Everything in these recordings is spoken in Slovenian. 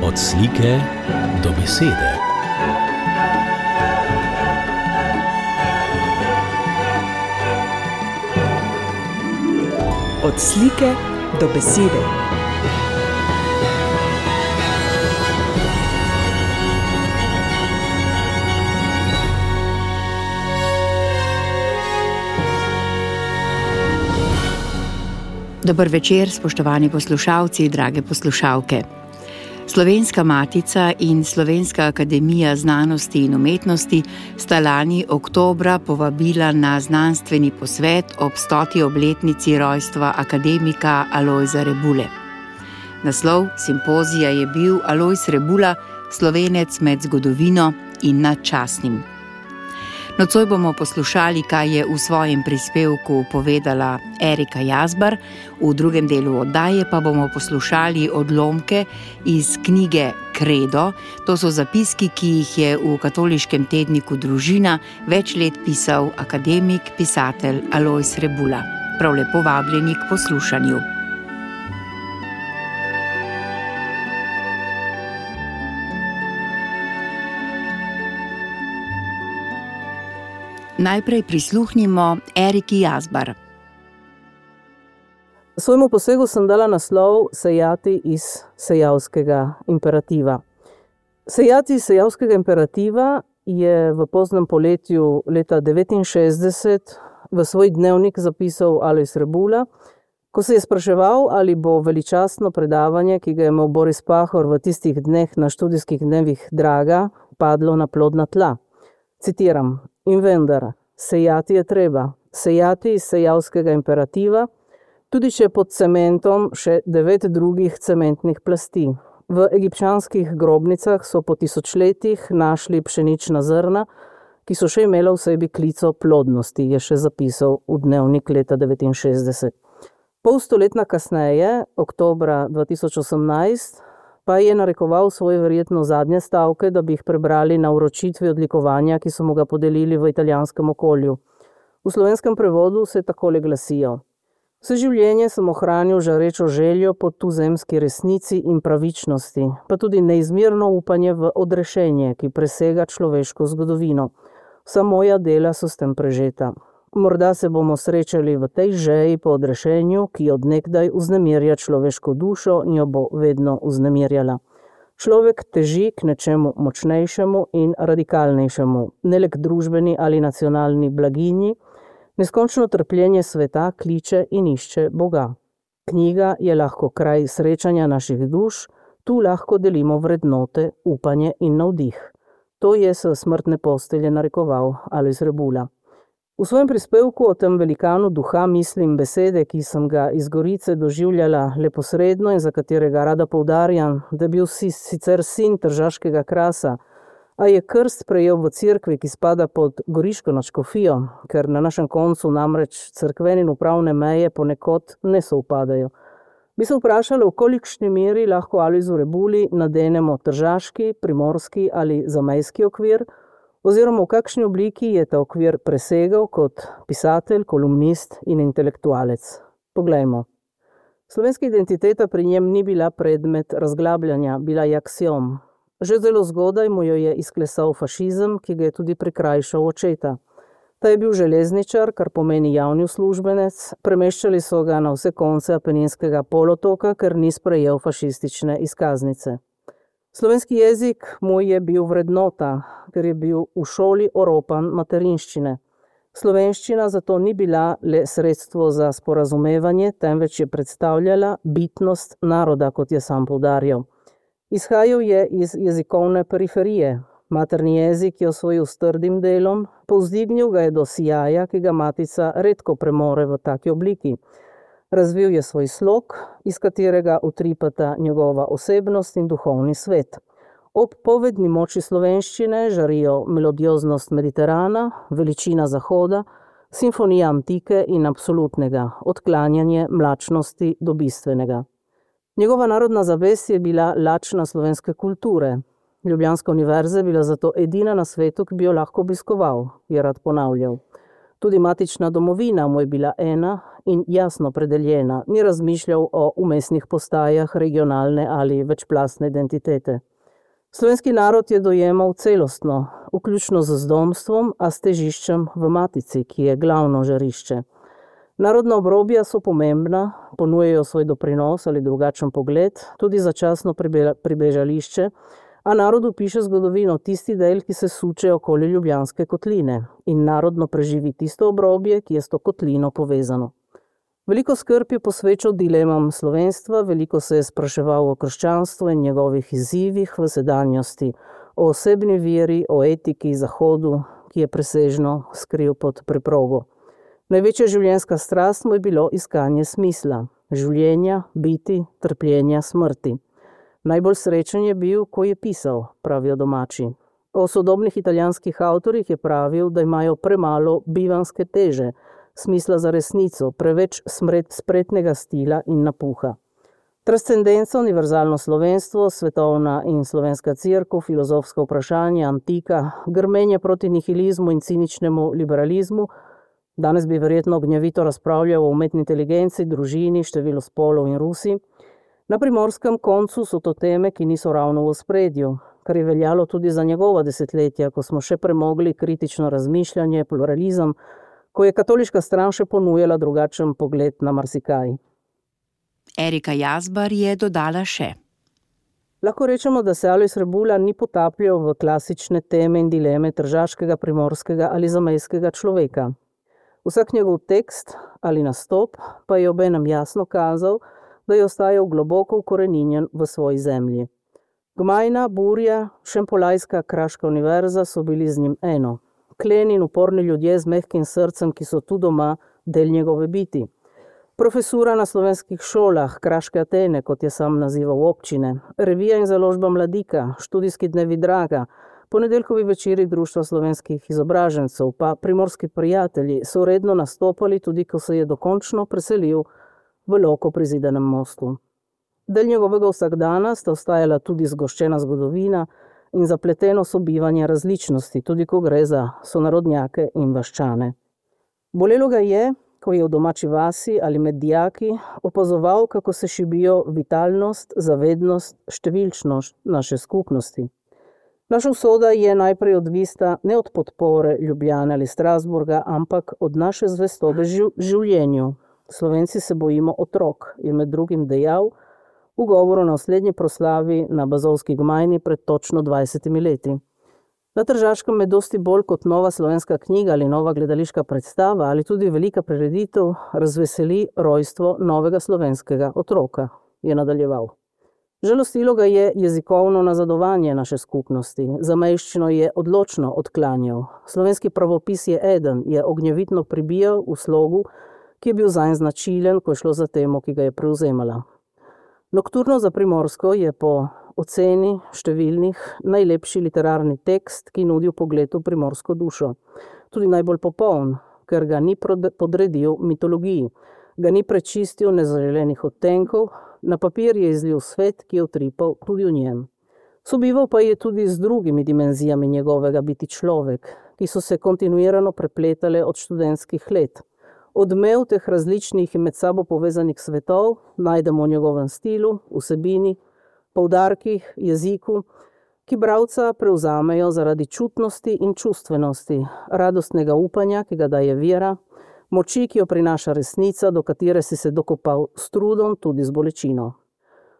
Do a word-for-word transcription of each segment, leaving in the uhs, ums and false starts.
Od slike do besede. Od slike do besede. Dober večer, spoštovani poslušalci, drage poslušalke. Slovenska matica in Slovenska akademija znanosti in umetnosti sta lani oktobra povabila na znanstveni posvet ob stoti obletnici rojstva akademika Alojza Rebule. Naslov simpozija je bil Alojz Rebula, Slovenec med zgodovino in nad častnim. Nocoj bomo poslušali, kaj je v svojem prispevku povedala Erika Jazbar, v drugem delu oddaje pa bomo poslušali odlomke iz knjige Kredo. To so zapiski, ki jih je v katoliškem tedniku Družina več let pisal akademik, pisatelj Alojz Rebula. Prav lepo vabljeni k poslušanju. Najprej prisluhnimo Eriki Jazbar. Svojemu posegu sem dala naslov Sejati iz sejavskega imperativa. Sejati iz sejavskega imperativa je v poznem poletju leta devetinšestdeset v svoj dnevnik zapisal Alojz Rebula, ko se je spraševal, ali bo veličastno predavanje, ki ga je imel Boris Pahor v tistih dneh na študijskih dnevih Draga, padlo na plodna tla. Citiram: In vendar, sejati je treba, sejati iz sejavskega imperativa, tudi če pod cementom še devet drugih cementnih plasti. V egipčanskih grobnicah so po tisočletjih našli pšenična zrna, ki so še imela v sebi klico plodnosti, je še zapisal v dnevnik leta devetinšestdeset. Pol stoletna kasneje, oktobra dva tisoč osemnajst, pa je narekoval svoje verjetno zadnje stavke, da bi jih prebrali na vročitvi odlikovanja, ki so mu ga podelili v italijanskem okolju. V slovenskem prevodu se takole glasijo: Vse življenje sem ohranil žarečo željo po tuzemski resnici in pravičnosti, pa tudi neizmerno upanje v odrešenje, ki presega človeško zgodovino. Vsa moja dela so s tem prežeta. Morda se bomo srečali v tej žeji po odrešenju, ki od nekdaj vznemirja človeško dušo in jo bo vedno vznemirjala. Človek teži k nečemu močnejšemu in radikalnejšemu, ne le k družbeni ali nacionalni blaginji. Neskončno trpljenje sveta kliče in išče Boga. Knjiga je lahko kraj srečanja naših duš, tu lahko delimo vrednote, upanje in navdih. To je s smrtne postelje narekoval Alojz Rebula. V svojem prispevku o tem velikanu duha mislim besede, ki sem ga iz Gorice doživljala leposredno in za katerega rada poudarjam, da je bil si, sicer sin tržaškega krasa, a je krst prejel v cerkvi, ki spada pod goriško nadškofijo, ker na našem koncu namreč cerkvene in upravne meje ponekod ne sovpadajo. Bi se vprašali, v kolikšni meri lahko Alojzu Rebuli nadenemo tržaški, primorski ali zamejski okvir, oziroma v kakšni obliki je ta okvir presegal kot pisatelj, kolumnist in intelektualec. Poglejmo. Slovenska identiteta pri njem ni bila predmet razglabljanja, bila je aksiom. Že zelo zgodaj mu jo je izklesal fašizem, ki ga je tudi prikrajšal očeta. Ta je bil železničar, kar pomeni javni uslužbenec, premeščali so ga na vse konce Apeninskega polotoka, ker ni sprejel fašistične izkaznice. Slovenski jezik mu je bil vrednota, ker je bil v šoli oropan materinščine. Slovenščina zato ni bila le sredstvo za sporazumevanje, temveč je predstavljala bitnost naroda, kot je sam poudarjal. Izhajal je iz jezikovne periferije. Materni jezik je osvojil s trdim delom, povzdignil ga je do sijaja, ki ga matica redko premore v taki obliki. Razvil je svoj slog, iz katerega utripata njegova osebnost in duhovni svet. Ob povedni moči slovenščine žarijo melodioznost Mediterana, veličina Zahoda, simfonija antike in absolutnega, odklanjanje mlačnosti do bistvenega. Njegova narodna zavest je bila lačna slovenske kulture. Ljubljanska univerza je bila zato edina na svetu, ki bi jo lahko obiskoval, je rad ponavljal. Tudi matična domovina mu je bila ena in jasno predeljena, ni razmišljal o umestnih postajah regionalne ali večplastne identitete. Slovenski narod je dojemal celostno, vključno z zdomstvom, a s težiščem v matici, ki je glavno žarišče. Narodna obrobja so pomembna, ponujajo svoj doprinos ali drugačen pogled, tudi začasno pribežališče, a narodu piše zgodovino tisti del, ki se suče okoli Ljubljanske kotline in narodno preživi tisto obrobje, ki je s to kotlino povezano. Veliko skrb je posvečal dilemam slovenstva, veliko se je spraševal o krščanstvu in njegovih izzivih v sedanjosti, o osebni veri, o etiki Zahodu, ki je presežno skril pod preprogo. Največja življenjska strast mu je bilo iskanje smisla, življenja, biti, trpljenja, smrti. Najbolj srečen je bil, ko je pisal, pravijo domači. O sodobnih italijanskih avtorjih je pravil, da imajo premalo bivanske teže, smisla za resnico, preveč spretnega stila in napuha. Transcendenca, univerzalno slovenstvo, svetovna in slovenska cerkev, filozofska vprašanja, antika, grmenje proti nihilizmu in ciničnemu liberalizmu. Danes bi verjetno gnjavito razpravljal o umetni inteligenci, družini, številu spolov in Rusi. Na primorskem koncu so to teme, ki niso ravno v ospredju, kar je veljalo tudi za njegova desetletja, ko smo še premogli kritično razmišljanje, pluralizem, ko je katoliška stran še ponujala drugačen pogled na marsikaj. Erika Jazbar je dodala še. Lahko rečemo, da se Alojz Rebula ni potapljal v klasične teme in dileme tržaškega, primorskega ali zamejskega človeka. Vsak njegov tekst ali nastop pa je obenem jasno kazal, da je ostajal globoko ukoreninjen v svoji zemlji. Gmajna, Burja, Šempolajska, Kraška univerza so bili z njim eno. Kleni in uporni ljudje z mehkim srcem, ki so tu doma del njegove biti. Profesura na slovenskih šolah, Kraške Atene, kot je sam nazival občine, revija in založba Mladika, študijski dnevi Draga, ponedeljkovi večeri Društva slovenskih izobražencev, pa Primorski prijatelji so redno nastopali, tudi ko se je dokončno preselil v Loko pri Zidanem mostu. Del njegovega vsakdana sta ostajala tudi zgoščena zgodovina in zapleteno sobivanje različnosti, tudi ko gre za sonarodnjake in vaščane. Bolelo ga je, ko je v domači vasi ali med dijaki opazoval, kako se šibijo vitalnost, zavednost, številčnost naše skupnosti. Naša usoda je najprej odvisna ne od podpore Ljubljane ali Strasburga, ampak od naše zvestobe življenju. Slovenci se bojimo otrok, je med drugim dejal v govoru na oslednji proslavi na Bazovski gmajni pred točno dvajsetimi leti. Na Tržaškem me dosti bolj kot nova slovenska knjiga ali nova gledališka predstava ali tudi velika prireditev razveseli rojstvo novega slovenskega otroka, je nadaljeval. Žalostilo ga je jezikovno nazadovanje naše skupnosti, zamejščino je odločno odklanjal. Slovenski pravopis je eden, je ognjevitno pribijal v slogu, ki je bil zanj značilen, ko je šlo za temo, ki ga je prevzemala. Nokturno za Primorsko je po oceni številnih najlepši literarni tekst, ki nudi vpogled v primorsko dušo. Tudi najbolj popoln, ker ga ni podredil mitologiji, ga ni prečistil nezaželenih odtenkov, na papir je izlil svet, ki je utripal tudi v njem. Sobival pa je tudi z drugimi dimenzijami njegovega biti človek, ki so se kontinuirano prepletale od študentskih let. Odmev teh različnih in med sabo povezanih svetov najdemo v njegovem stilu, vsebini, poudarkih, jeziku, ki bralca prevzamejo zaradi čutnosti in čustvenosti, radostnega upanja, ki ga daje vera, moči, ki jo prinaša resnica, do katere si se dokopal s trudom, tudi z bolečino.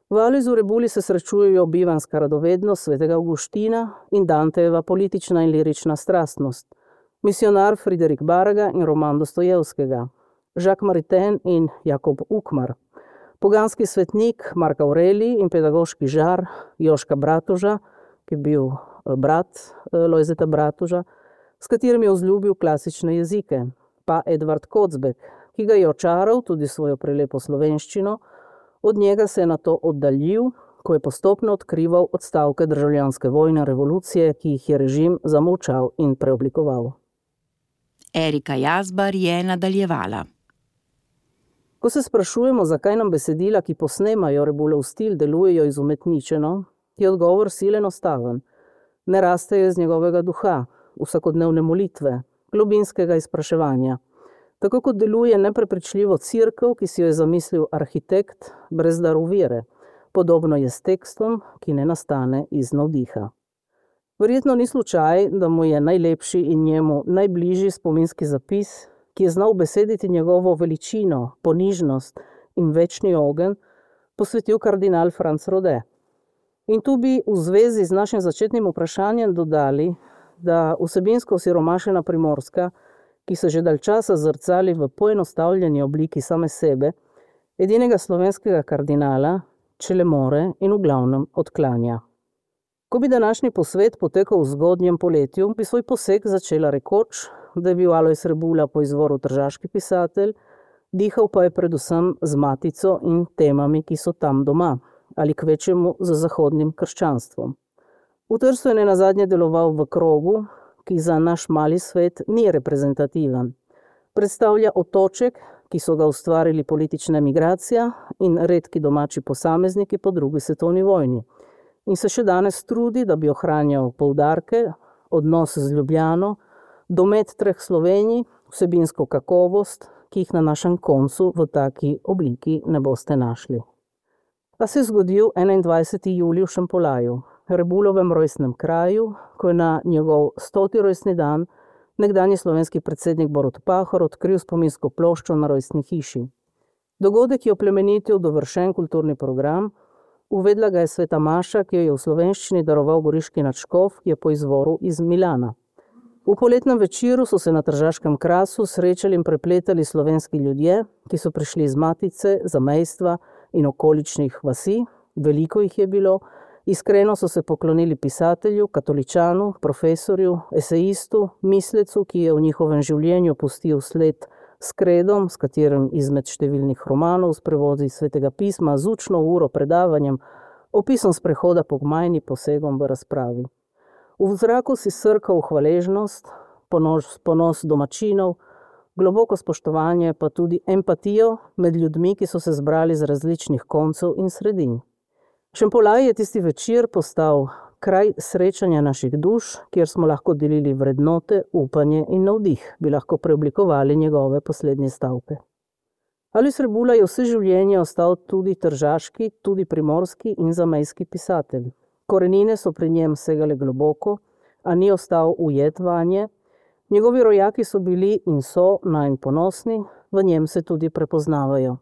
V Alojzu Rebuli se srečujejo bivanska radovednost svetega Avguština in Dantejeva politična in lirična strastnost, misionar Friderik Baraga in roman Dostojevskega, Jacques Maritain in Jakob Ukmar, poganski svetnik Mark Aurelij in pedagoški žar Joška Bratoža, ki je bil brat Lojzeta Bratoža, s katerim je vzljubil klasične jezike, pa Edvard Kocbek, ki ga je očaral tudi svojo prelepo slovenščino, od njega se je nato oddaljil, ko je postopno odkrival odstavke državljanske vojne revolucije, ki jih je režim zamolčal in preoblikoval. Erika Jazbar je nadaljevala. Ko se sprašujemo, zakaj nam besedila, ki posnemajo Rebulov stil, delujejo izumetničeno, je odgovor silen enostaven. Ne rastejo iz njegovega duha, vsakodnevne molitve, globinskega izpraševanja. Tako kot deluje neprepričljivo cerkev, ki si jo je zamislil arhitekt brez daru vere. Podobno je s tekstom, ki ne nastane iz navdiha. Verjetno ni slučaj, da mu je najlepši in njemu najbližji spominski zapis, ki je znal besediti njegovo veličino, ponižnost in večni ogenj, posvetil kardinal Franc Rode. In tu bi v zvezi z našim začetnim vprašanjem dodali, da vsebinsko osiromašena Primorska, ki se že dalj časa zrcali v poenostavljeni obliki same sebe, edinega slovenskega kardinala, če le more in v glavnem odklanja. Ko bi današnji posvet potekal v zgodnjem poletju, bi svoj poseg začela rekoč, da je bil Alojz Rebula po izvoru tržaški pisatelj, dihal pa je predvsem z matico in temami, ki so tam doma, ali kvečjemu z zahodnim krščanstvom. V Trstu je nenazadnje deloval v krogu, ki za naš mali svet ni reprezentativen. Predstavlja otoček, ki so ga ustvarili politična emigracija in redki domači posamezniki po drugi svetovni vojni. In se še danes trudi, da bi ohranjal poudarke, odnos z Ljubljano, domet treh Slovenij, vsebinsko kakovost, ki jih na našem koncu v taki obliki ne boste našli. Pa se je zgodil enaindvajseti julij v Šempolaju, Rebulovem rojstnem kraju, ko je na njegov stoti rojstni dan nekdanji slovenski predsednik Borut Pahor odkril spominsko ploščo na rojstni hiši. Dogodek je oplemenitil dovršen kulturni program, uvedla ga je sveta maša, ki jo je v slovenščini daroval goriški nadškof, ki je po izvoru iz Milana. V poletnem večeru so se na Tržaškem krasu srečali in prepletali slovenski ljudje, ki so prišli iz Matice, zamejstva in okoličnih vasi, veliko jih je bilo, iskreno so se poklonili pisatelju, katoličanu, profesorju, esejistu, mislecu, ki je v njihovem življenju pustil sled s kredom, s katerim izmed številnih romanov, s prevodi svetega pisma, z učno uro, predavanjem, opisom sprehoda po gmajni, posegom v razpravi. V zraku si srkal hvaležnost, ponos, ponos domačinov, globoko spoštovanje, pa tudi empatijo med ljudmi, ki so se zbrali z različnih koncev in sredin. Šempolaj je tisti večer postal kraj srečanja naših duš, kjer smo lahko delili vrednote, upanje in navdih, bi lahko preoblikovali njegove poslednje stavke. Alojz Rebula je vse življenje ostal tudi tržaški, tudi primorski in zamejski pisatelj. Korenine so pri njem segale globoko, a ni ostal ujet vanje. Njegovi rojaki so bili in so nanj ponosni, v njem se tudi prepoznavajo.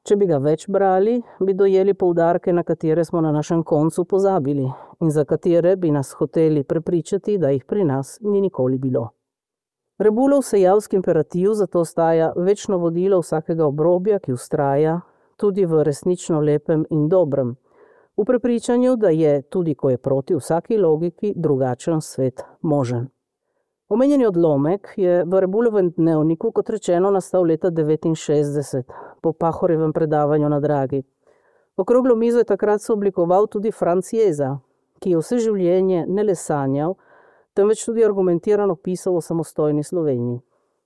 Če bi ga več brali, bi dojeli poudarke, na katere smo na našem koncu pozabili in za katere bi nas hoteli prepričati, da jih pri nas ni nikoli bilo. Rebulov sejavski imperativ zato ostaja večno vodilo vsakega obrobja, ki vztraja tudi v resnično lepem in dobrem, v prepričanju, da je, tudi ko je proti vsaki logiki, drugačen svet možen. Omenjeni odlomek je v Rebulovem dnevniku, kot rečeno, nastal leta devetinšestdeset, po Pahorjevem predavanju na Dragi. Okroglo mizo je takrat se oblikoval tudi Franc Jeza, ki je vse življenje ne le sanjal, temveč tudi argumentirano pisal o samostojni Sloveniji.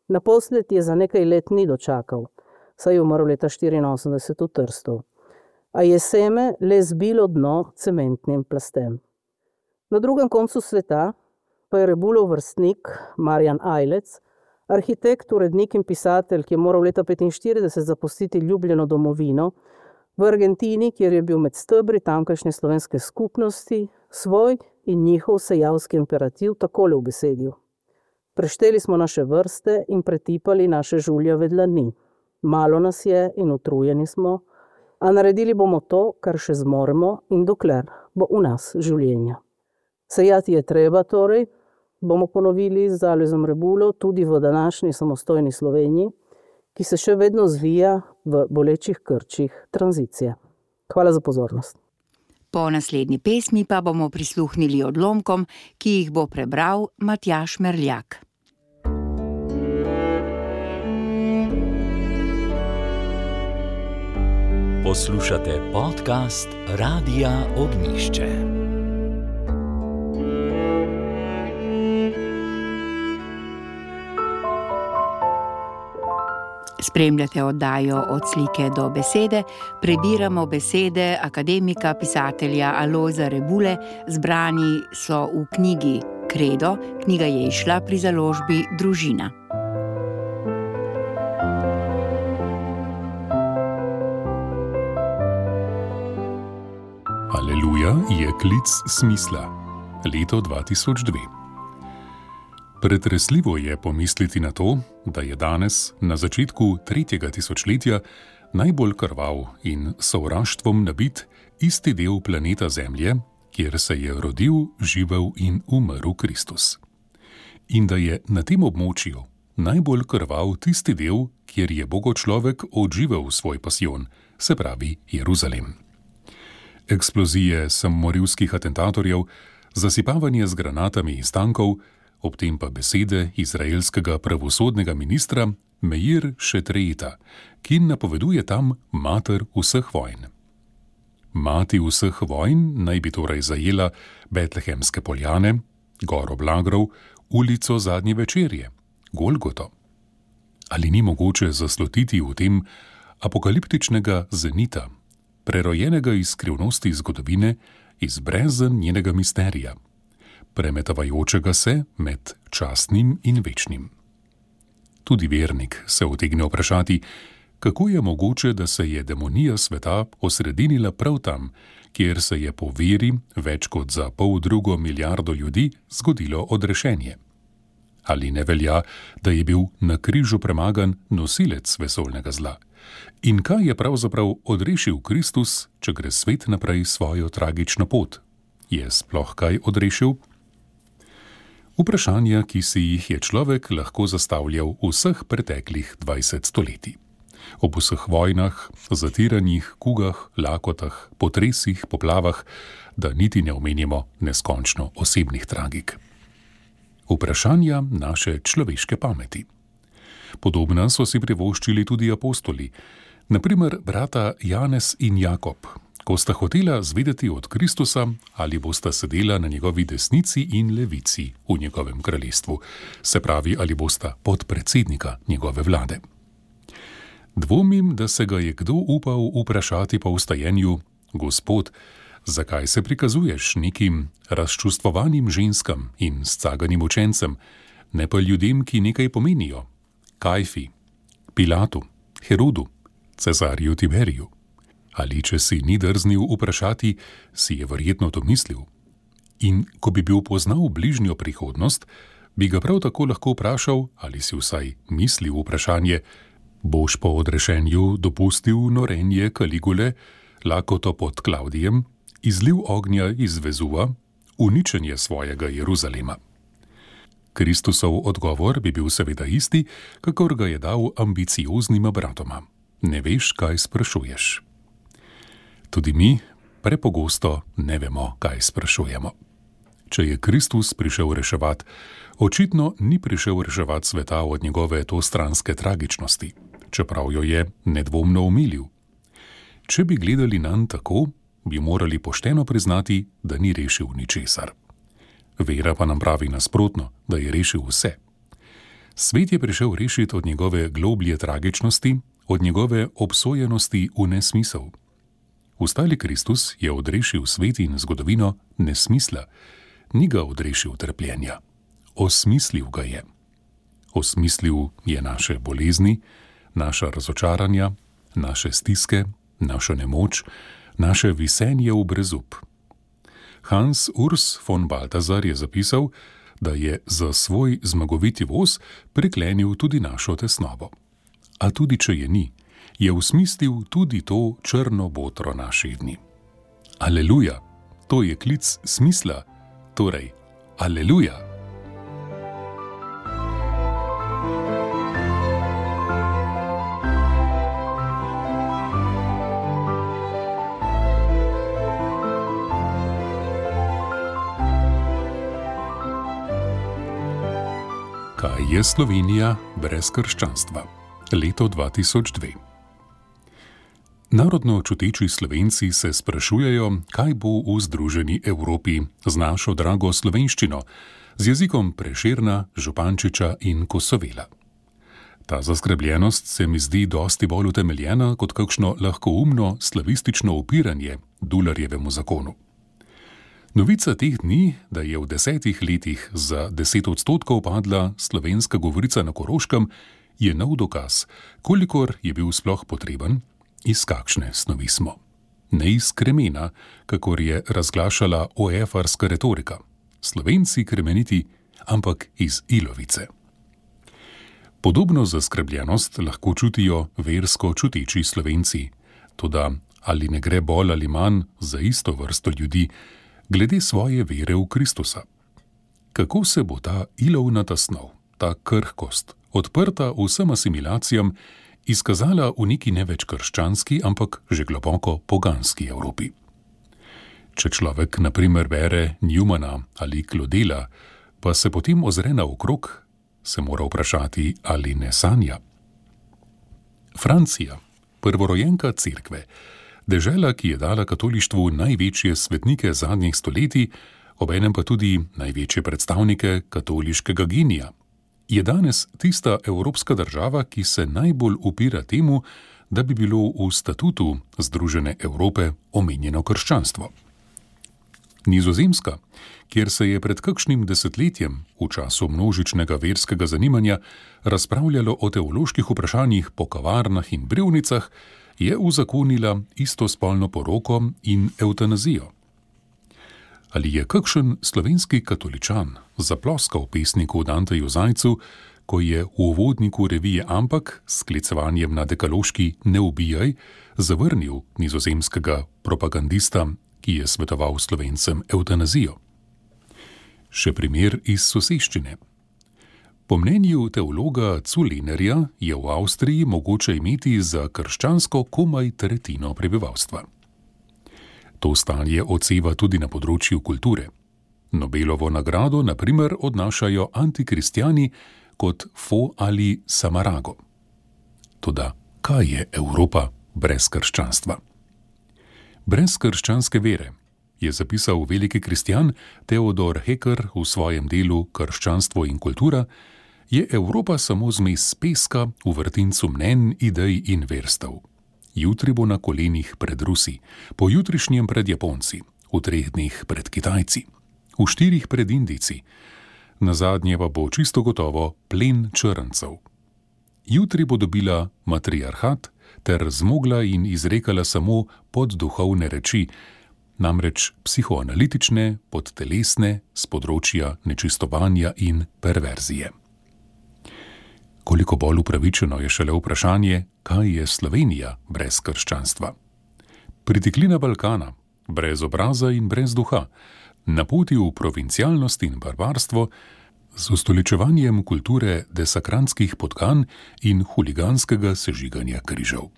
Naposled je za nekaj let ni dočakal, saj je umrl leta štiriinosemdeset v Trstu. A je seme le zbilo dno cementnim plastem. Na drugem koncu sveta pa je Rebulov vrstnik Marjan Ajlec, arhitekt, urednik in pisatelj, ki je moral leta petinštirideset zapustiti ljubljeno domovino, v Argentini, kjer je bil med stebri tamkajšnje slovenske skupnosti, svoj in njihov sejavski imperativ takole ubesedil. Prešteli smo naše vrste in pretipali naše žuljave dlani. Malo nas je in utrujeni smo, a naredili bomo to, kar še zmoremo in dokler bo v nas življenja. Sejati je treba torej, bomo ponovili z Alojzom Rebulo tudi v današnji samostojni Sloveniji, ki se še vedno zvija v bolečih krčih tranzicije. Hvala za pozornost. Po naslednji pesmi pa bomo prisluhnili odlomkom, ki jih bo prebral Matjaž Merljak. Poslušate podcast Radia Ognjišče. Spremljate oddajo Od slike do besede, prebiramo besede akademika, pisatelja Alojza Rebule, zbrani so v knjigi Kredo, knjiga je izšla pri založbi Družina. Aleluja je klic smisla. Leto dva tisoč dve. Pretresljivo je pomisliti na to, da je danes, na začetku tretjega tisočletja, najbolj krvav in sovraštvom nabit isti del planeta Zemlje, kjer se je rodil, živel in umrl Kristus. In da je na tem območju najbolj krvav tisti del, kjer je bogočlovek odživel svoj pasijon, se pravi Jeruzalem. Eksplozije samomorilskih atentatorjev, zasipavanje z granatami iz tankov, ob tem pa besede izraelskega pravosodnega ministra Meir Šetrejeta, ki napoveduje tam mater vseh vojn. Mati vseh vojn naj bi torej zajela Betlehemske poljane, Goro Blagrov, ulico Zadnje večerje, Golgoto. Ali ni mogoče zaslutiti v tem apokaliptičnega zenita, prerojenega iz skrivnosti zgodovine, iz brezen njenega misterija, premetavajočega se med častnim in večnim. Tudi vernik se utegne vprašati, kako je mogoče, da se je demonija sveta osredinila prav tam, kjer se je po veri več kot za pol drugo milijardo ljudi zgodilo odrešenje. Ali ne velja, da je bil na križu premagan nosilec vesoljnega zla? In kaj je pravzaprav odrešil Kristus, če gre svet naprej svojo tragično pot? Je sploh kaj odrešil? Vprašanja, ki si jih je človek lahko zastavljal v vseh preteklih dvajset stoletij. Ob vseh vojnah, zatiranjih, kugah, lakotah, potresih, poplavah, da niti ne omenimo neskončno osebnih tragik. Vprašanja naše človeške pameti. Podobna so si privoščili tudi apostoli, na primer brata Janez in Jakob, ko sta hotela zvedeti od Kristusa, ali bosta sedela na njegovi desnici in levici v njegovem kraljestvu, se pravi, ali bosta podpredsednika njegove vlade. Dvomim, da se ga je kdo upal vprašati po vstajenju: Gospod, zakaj se prikazuješ nekim razčustvovanim ženskam in scaganim učencem, ne pa ljudem, ki nekaj pomenijo, Kajfi, Pilatu, Herodu, Cezarju Tiberiju? Ali če si ni drznil vprašati, si je verjetno to mislil. In ko bi bil poznal bližnjo prihodnost, bi ga prav tako lahko vprašal, ali si vsaj mislil vprašanje: boš po odrešenju dopustil norenje Kaligule, lakoto pod Klavdijem, izliv ognja iz Vezuva, uničenje svojega Jeruzalema? Kristusov odgovor bi bil seveda isti, kakor ga je dal ambicioznima bratoma: ne veš, kaj sprašuješ. Tudi mi prepogosto ne vemo, kaj sprašujemo. Če je Kristus prišel reševati, očitno ni prišel reševati sveta od njegove tostranske tragičnosti, čeprav jo je nedvomno omilil. Če bi gledali nanj tako, bi morali pošteno priznati, da ni rešil ničesar. Vera pa nam pravi nasprotno, da je rešil vse. Svet je prišel rešiti od njegove globlje tragičnosti, od njegove obsojenosti v nesmisel. Vstali Kristus je odrešil svet in zgodovino nesmisla, ni ga odrešil trpljenja. Osmislil ga je. Osmislil je naše bolezni, naša razočaranja, naše stiske, našo nemoč, naše visenje v brezup. Hans Urs von Balthasar je zapisal, da je za svoj zmagoviti voz priklenil tudi našo tesnobo. A tudi če je ni, je usmislil tudi to črno botro naših dni. Aleluja, to je klic smisla, torej aleluja. Kaj je Slovenija brez krščanstva? Leto dva tisoč dve. Narodno čuteči Slovenci se sprašujejo, kaj bo v združeni Evropi z našo drago slovenščino, z jezikom Prešerna, Župančiča in Kosovela. Ta zaskrbljenost se mi zdi dosti bolj utemeljena kot kakšno lahkoumno slavistično upiranje Dularjevemu zakonu. Novica teh dni, da je v desetih letih za deset odstotkov padla slovenska govorica na Koroškem, je nov dokaz, kolikor je bil sploh potreben, iz kakšne snovi smo. Ne iz kremena, kakor je razglašala oefarska retorika. Slovenci kremeniti, ampak iz ilovice. Podobno zaskrbljenost lahko čutijo versko čuteči Slovenci, toda ali ne gre bolj ali manj za isto vrsto ljudi, glede svoje vere v Kristusa. Kako se bo ta ilovnata snov, ta krhkost, odprta vsem asimilacijam, izkazala v neki ne več krščanski, ampak že globoko poganski Evropi? Če človek na primer bere Newmana ali Claudela, pa se potem ozre naokrog, se mora vprašati, ali ne sanja. Francija, prvorojenka cerkve, dežela, ki je dala katolištvu največje svetnike zadnjih stoletij, obenem pa tudi največje predstavnike katoliškega genija, je danes tista evropska država, ki se najbolj upira temu, da bi bilo v statutu Združene Evrope omenjeno krščanstvo. Nizozemska, kjer se je pred kakšnim desetletjem, v času množičnega verskega zanimanja, razpravljalo o teoloških vprašanjih po kavarnah in brevnicah, je uzakonila istospolno poroko in evtanazijo. Ali je kakšen slovenski katoličan zaploskal pesniku Danteju Zajcu, ko je v uvodniku revije Ampak s sklicevanjem na dekaloški Ne ubijaj zavrnil nizozemskega propagandista, ki je svetoval Slovencem evtanazijo? Še primer iz soseščine. Po mnenju teologa Zulenerja je v Avstriji mogoče imeti za krščansko komaj tretjino prebivalstva. To stanje odseva tudi na področju kulture. Nobelovo nagrado, na primer, odnašajo antikristjani kot Fo ali Samarago. Toda kaj je Evropa brez krščanstva? Brez krščanske vere, je zapisal veliki kristjan Theodor Hecker v svojem delu Krščanstvo in kultura, je Evropa samo zmes peska v vrtincu mnenj, idej in verstev. Jutri bo na kolenih pred Rusi, pojutrišnjem pred Japonci, v treh dneh pred Kitajci, v štirih pred Indijci, nazadnje pa bo čisto gotovo plen črncev. Jutri bo dobila matriarhat ter zmogla in izrekala samo podduhovne reči, namreč psihoanalitične, podtelesne, z področja nečistovanja in perverzije. Koliko bolj upravičeno je šele vprašanje, kaj je Slovenija brez krščanstva. Pritiklina Balkana, brez obraza in brez duha, na poti v provincialnost in barbarstvo, z ustoličevanjem kulture desakranskih podgan in huliganskega sežiganja križev.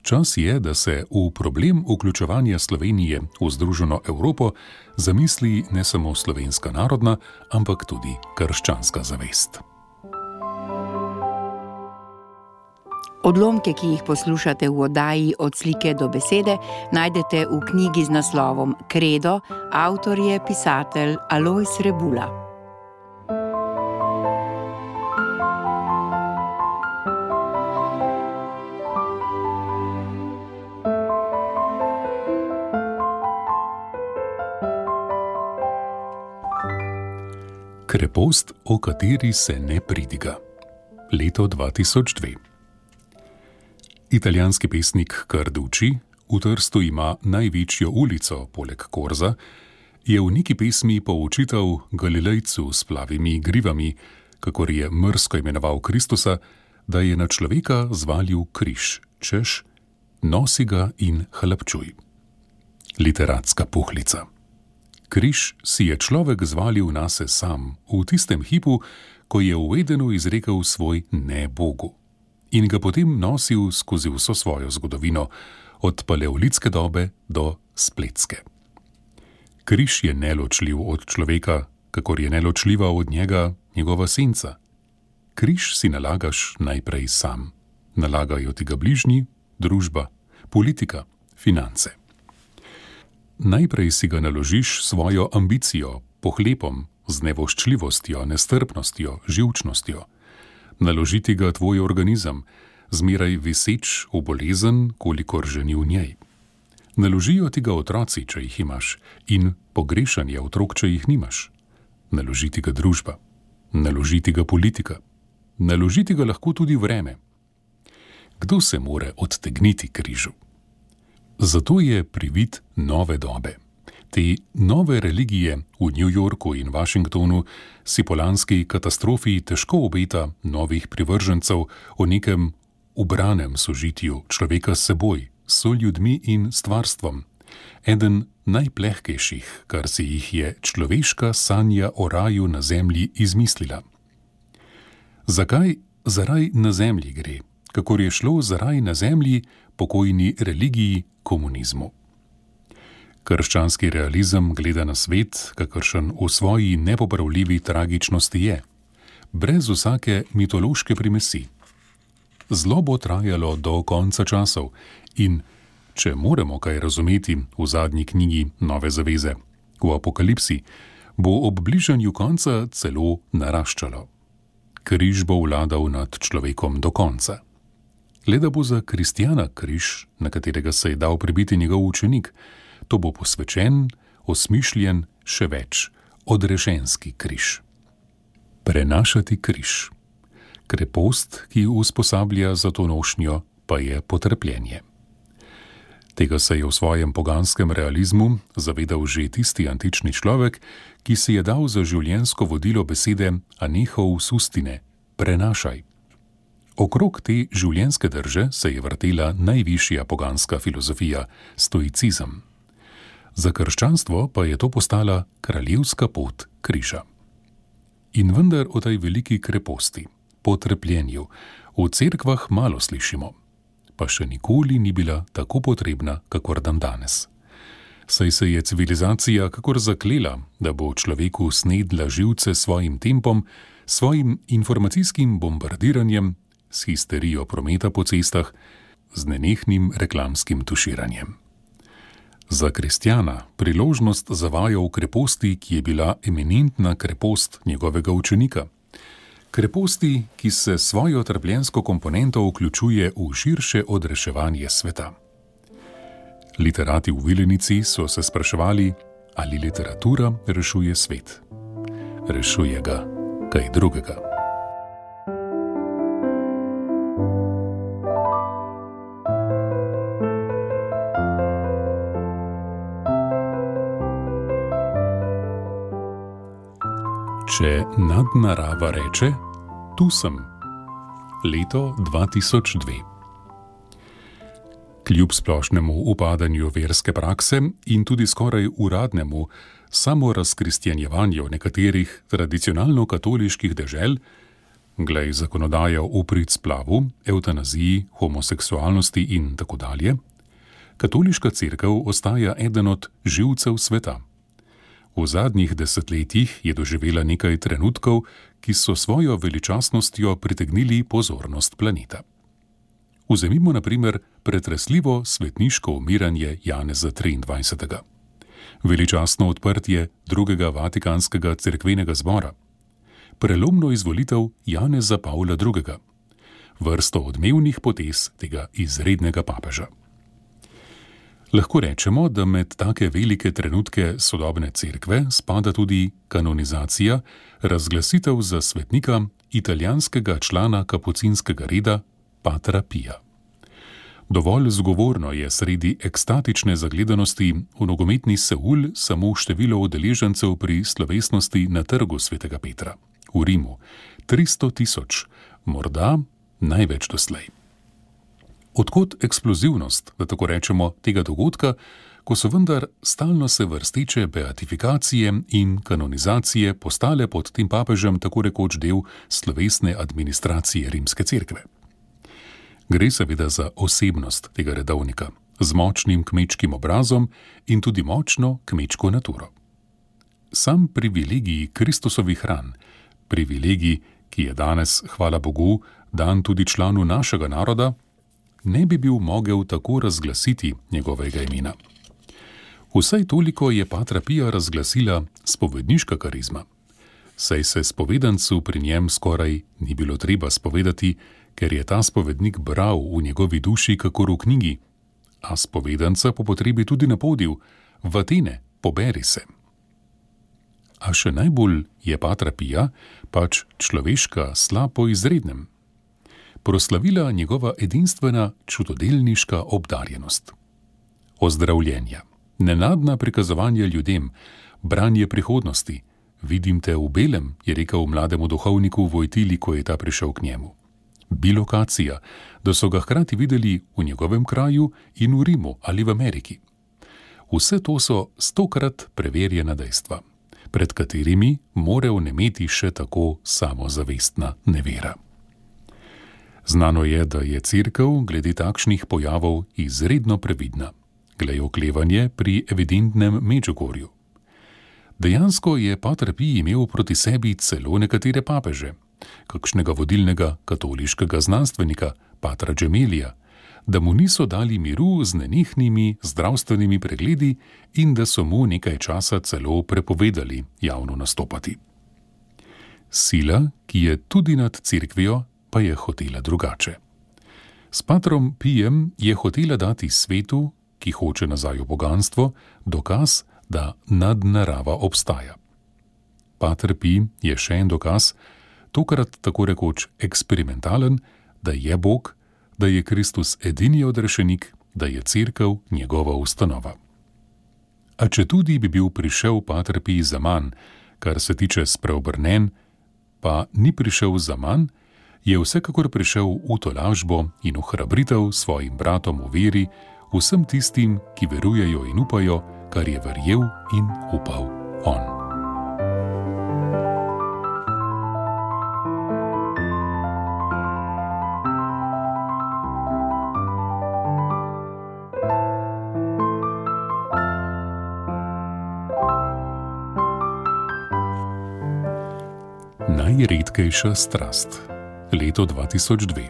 Čas je, da se v problem vključevanja Slovenije v Združeno Evropo zamisli ne samo slovenska narodna, ampak tudi krščanska zavest. Odlomke, ki jih poslušate v oddaji Od slike do besede, najdete v knjigi z naslovom Kredo, avtor je pisatelj Alojz Rebula. Krepost, o kateri se ne pridiga. Leto dva tisoč dve. Italijanski pesnik Carducci, v Trstu ima največjo ulico poleg Korza, je v neki pesmi poučital Galilejcu s plavimi grivami, kakor je mrsko imenoval Kristusa, da je na človeka zvalil križ, češ, nosi ga in hlapčuj. Literatska puhlica. Križ si je človek zvalil nase sam, v tistem hipu, ko je v Edenu izrekel svoj ne Bogu, in ga potem nosil skozi vso svojo zgodovino, od paleolitske dobe do spletske. Križ je neločljiv od človeka, kakor je neločljiva od njega njegova senca. Križ si nalagaš najprej sam. Nalagajo ti ga bližnji, družba, politika, finance. Najprej si ga naložiš svojo ambicijo, pohlepom, z nevoščljivostjo, nestrpnostjo, živčnostjo. Naložiti ga tvoj organizem, zmeraj viseč v bolezen, kolikor že ni v njej. Naložijo ti ga otroci, če jih imaš, in pogrešanje otrok, če jih nimaš. Naloži ti ga družba, naloži ti ga politika, naloži ti ga lahko tudi vreme. Kdo se more odtegniti križu? Zato je privid nove dobe. Te nove religije v New Yorku in Washingtonu si po lanski katastrofi težko obeta novih privržencev o nekem ubranem sožitju človeka s seboj, so ljudmi in stvarstvom. Eden najplehkejših, kar si jih je človeška sanja o raju na zemlji izmislila. Zakaj za raj na zemlji gre, kakor je šlo za raj na zemlji pokojni religiji komunizmu? Krščanski realizem gleda na svet, kakršen v svoji nepopravljivi tragičnosti je, brez vsake mitološke primesi. Zlo bo trajalo do konca časov in, če moramo kaj razumeti v zadnji knjigi Nove zaveze, v Apokalipsi, bo ob bližanju konca celo naraščalo. Križ bo vladal nad človekom do konca. Le da bo za kristjana križ, na katerega se je dal pribiti njegov učenik, to bo posvečen, osmišljen, še več, odrešenski križ. Prenašati križ. Krepost, ki usposablja za to nošnjo, pa je potrpljenje. Tega se je v svojem poganskem realizmu zavedal že tisti antični človek, ki si je dal za življenjsko vodilo besede anehov sustine, prenašaj. Okrog te življenjske drže se je vrtela najvišja poganska filozofija, stoicizem. Za krščanstvo pa je to postala kraljevska pot križa. In vendar o tej veliki kreposti, potrpljenju, v cerkvah malo slišimo, pa še nikoli ni bila tako potrebna, kakor dan danes. Saj se je civilizacija kakor zaklela, da bo človeku snedla živce svojim tempom, svojim informacijskim bombardiranjem, s histerijo prometa po cestah, z nenehnim reklamskim tuširanjem. Za kristjana priložnost zavaja v kreposti, ki je bila eminentna krepost njegovega učenika. Kreposti, ki se svojo trpljensko komponento vključuje v širše odreševanje sveta. Literati v Vilenici so se spraševali, ali literatura rešuje svet. Rešuje ga kaj drugega. Če nadnarava reče, tu sem. Leto dva tisoč dve. Kljub splošnemu upadanju verske prakse in tudi skoraj uradnemu samorazkristjanjevanju nekaterih tradicionalno-katoliških dežel, glej zakonodajo v prid splavu, evtanaziji, homoseksualnosti in tako dalje, katoliška cerkev ostaja eden od živcev sveta. V zadnjih desetletjih je doživela nekaj trenutkov, ki so svojo veličastnostjo pritegnili pozornost planeta. Vzemimo na primer pretresljivo svetniško umiranje Janeza triindvajsetega, veličastno odprtje drugega Vatikanskega cerkvenega zbora, prelomno izvolitev Janeza Pavla drugega, vrsto odmevnih potez tega izrednega papeža. Lahko rečemo, da med take velike trenutke sodobne cerkve spada tudi kanonizacija, razglasitev za svetnika italijanskega člana kapucinskega reda Patra Pija. Dovolj zgovorno je sredi ekstatične zagledanosti v nogometni Seul samo število udeležencev pri slovesnosti na trgu svetega Petra v Rimu, tristo tisoč, morda največ doslej. Odkot eksplozivnost, da tako rečemo, tega dogodka, ko so vendar stalno se vrsteče beatifikacije in kanonizacije postale pod tem papežem tako rekoč del slovesne administracije rimske cerkve. Gre seveda za osebnost tega redovnika, z močnim kmečkim obrazom in tudi močno kmečko naturo. Sam privilegij Kristusovih ran, privilegij, ki je danes, hvala Bogu, dan tudi članu našega naroda, ne bi bil mogel tako razglasiti njegovega imena. Vsaj toliko je Patra Pija razglasila spovedniška karizma, saj se spovedancu pri njem skoraj ni bilo treba spovedati, ker je ta spovednik bral v njegovi duši kakor v knjigi, a spovedanca po potrebi tudi napodil: v Atene, poberi se. A še najbolj je Patra Pija pač človeška sla po izrednem. Proslavila njegova edinstvena čudodelniška obdarjenost. Ozdravljenja, nenadna prikazovanja ljudem, branje prihodnosti. Vidim te v belem, je rekel mlademu duhovniku Vojtili, ko je ta prišel k njemu. Bilokacija, da so ga hkrati videli v njegovem kraju in v Rimu ali v Ameriki. Vse to so stokrat preverjena dejstva, pred katerimi more vnemeti še tako samozavestna nevera. Znano je, da je Cerkev glede takšnih pojavov izredno previdna, glej oklevanje pri evidentnem Medžugorju. Dejansko je Pater Pij imel proti sebi celo nekatere papeže, kakšnega vodilnega katoliškega znanstvenika, patra Gemelija, da mu niso dali miru z nenehnimi zdravstvenimi pregledi in da so mu nekaj časa celo prepovedali javno nastopati. Sila, ki je tudi nad Cerkvijo, pa je hotela drugače. S patrom Pijem je hotela dati svetu, ki hoče nazaj v poganstvo, dokaz, da nadnarava obstaja. Pater Pij je še en dokaz, tokrat tako rekoč eksperimentalen, da je Bog, da je Kristus edini odrešenik, da je Cerkev njegova ustanova. A če tudi bi bil prišel Pater Pij za manj, kar se tiče spreobrnen, pa ni prišel za manj, je vsekakor prišel v tolažbo in v hrabritev svojim bratom v veri, vsem tistim, ki verujejo in upajo, kar je verjel in upal on. Najredkejša strast. Leto dva tisoč dve.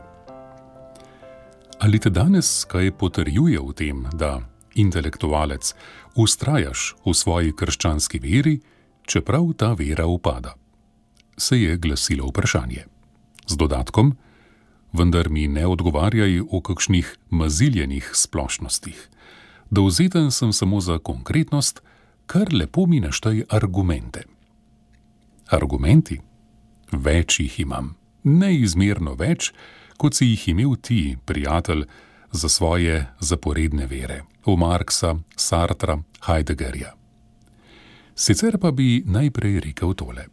Ali te danes kaj potrjuje v tem, da intelektualec vztrajaš v svoji krščanski veri, čeprav ta vera upada? Se je glasilo vprašanje. Z dodatkom: vendar mi ne odgovarjaj o kakšnih maziljenih splošnostih. Dovzeten sem samo za konkretnost, kar lepo mi naštaj argumente. Argumenti? Več jih imam. Neizmerno več, kot si jih imel ti, prijatelj, za svoje zaporedne vere, v Marxa, Sartra, Heideggerja. Sicer pa bi najprej rekel tole.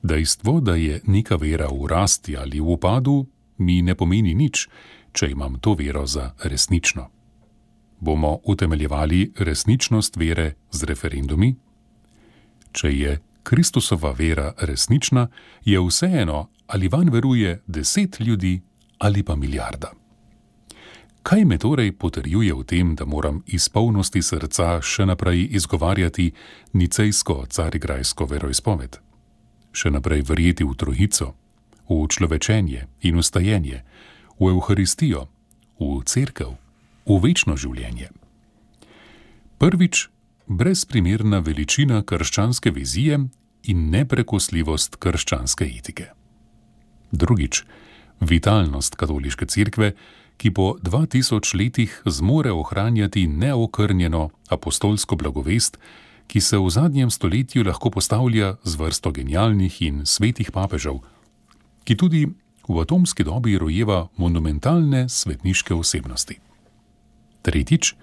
Dejstvo, da je neka vera v rasti ali v upadu, mi ne pomeni nič, če imam to vero za resnično. Bomo utemeljevali resničnost vere z referendumi? Če je Kristusova vera resnična, je vseeno, ali vanj veruje deset ljudi ali pa milijarda. Kaj me torej potrjuje v tem, da moram iz polnosti srca še naprej izgovarjati nicejsko-carigrajsko veroizpoved? Še naprej verjeti v trojico, v človečenje in vstajenje, v Evharistijo, v Cerkev, v večno življenje? Prvič, brezprimerna veličina krščanske vizije in neprekosljivost krščanske etike. Drugič, vitalnost katoliške cerkve, ki po dva tisoč letih zmore ohranjati neokrnjeno apostolsko blagovest, ki se v zadnjem stoletju lahko postavlja z vrsto genialnih in svetih papežev, ki tudi v atomski dobi rojeva monumentalne svetniške osebnosti. Tretjič,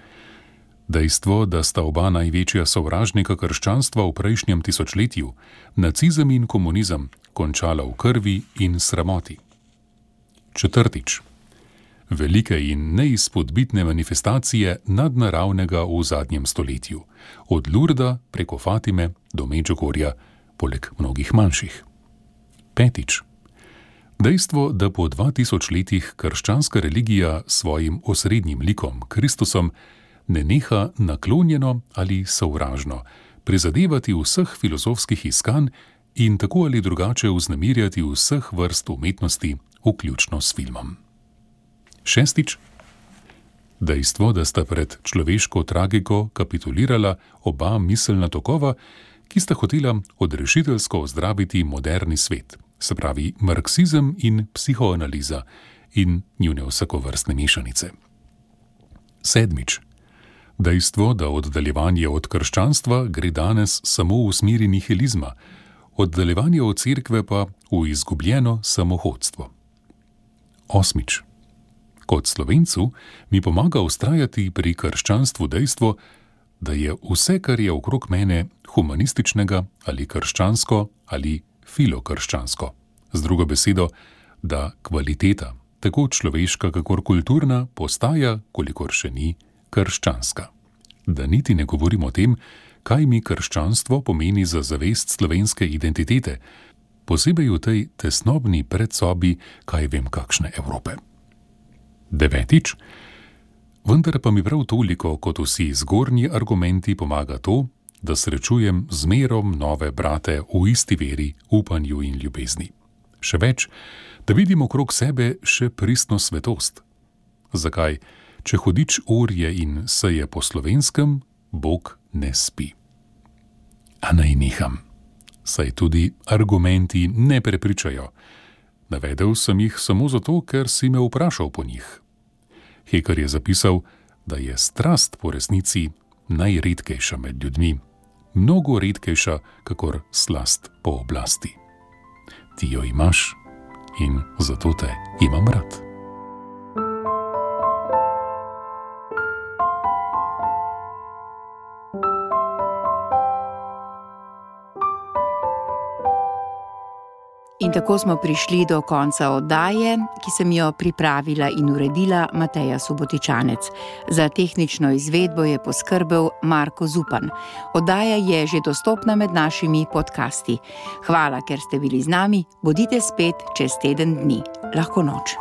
dejstvo, da sta oba največja sovražnika krščanstva v prejšnjem tisočletju, nacizem in komunizem, končala v krvi in sramoti. Četrtič, velike in neizpodbitne manifestacije nadnaravnega v zadnjem stoletju, od Lurda preko Fatime do Medžugorja, poleg mnogih manjših. Petič, dejstvo, da po dva tisoč letih krščanska religija s svojim osrednjim likom, Kristusom, ne neha naklonjeno ali sovražno prizadevati vseh filozofskih iskanj in tako ali drugače vznemirjati vseh vrst umetnosti, vključno s filmom. Šestič, dejstvo, da sta pred človeško tragiko kapitulirala oba miselna tokova, ki sta hotela odrešiteljsko ozdraviti moderni svet, se pravi marksizem in psihoanaliza in njune vsakovrstne mešanice. Sedmič. Dejstvo, da oddaljevanje od krščanstva gre danes samo v smeri nihilizma, oddaljevanje od cerkve pa v izgubljeno samohodstvo. Osmič. Kot Slovencu mi pomaga vztrajati pri krščanstvu dejstvo, da je vse, kar je okrog mene, humanističnega ali krščansko ali filokrščansko. Z drugo besedo, da kvaliteta, tako človeška kakor kulturna, postaja, kolikor še ni, krščanska. Da niti ne govorim o tem, kaj mi krščanstvo pomeni za zavest slovenske identitete, posebej v tej tesnobni predsobi, kaj vem kakšne Evrope. Devetič. Vendar pa mi prav toliko, kot vsi zgornji argumenti, pomaga to, da srečujem zmerom nove brate v isti veri, upanju in ljubezni. Še več, da vidim okrog sebe še pristno svetost. Zakaj, če hudič orje in seje po slovenskem, Bog ne spi? A naj neham, saj tudi argumenti ne prepričajo. Navedel sem jih samo zato, ker si me vprašal po njih. Heker je zapisal, da je strast po resnici najredkejša med ljudmi, mnogo redkejša, kakor slast po oblasti. Ti jo imaš in zato te imam rad. In tako smo prišli do konca oddaje, ki sem jo pripravila in uredila Mateja Subotičanec. Za tehnično izvedbo je poskrbel Marko Zupan. Oddaja je že dostopna med našimi podcasti. Hvala, ker ste bili z nami. Bodite spet čez teden dni. Lahko noč.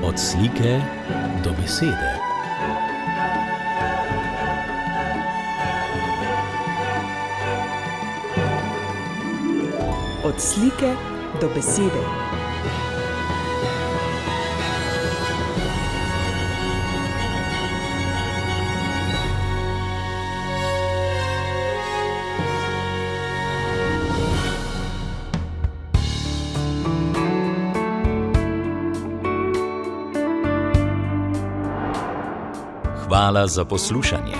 Od slike do besede. Od slike do besede. Hvala za poslušanje.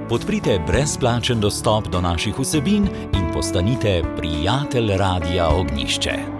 Podprite brezplačen dostop do naših vsebin in postanite prijatelj Radia Ognjišče.